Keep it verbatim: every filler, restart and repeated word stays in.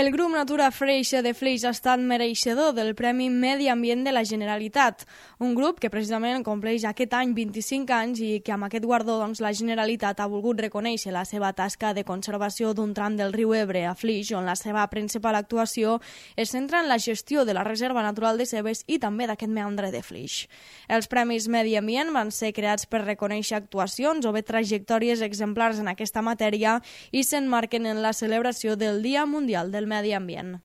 El grup Natura Freixe de Flix ha estat mereixedor del Premi Medi Ambient de la Generalitat, un grup que precisament compleix aquest any vint-i-cinc anys i que amb aquest guardó doncs, la Generalitat ha volgut reconèixer la seva tasca de conservació d'un tram del riu Ebre a Flix, on la seva principal actuació es centra en la gestió de la Reserva Natural de Cebes i també d'aquest meandre de Flix. Els Premis Medi Ambient van ser creats per reconèixer actuacions o bé trajectòries exemplars en aquesta matèria i s'emmarquen en la celebració del Dia Mundial del Medi Ambient.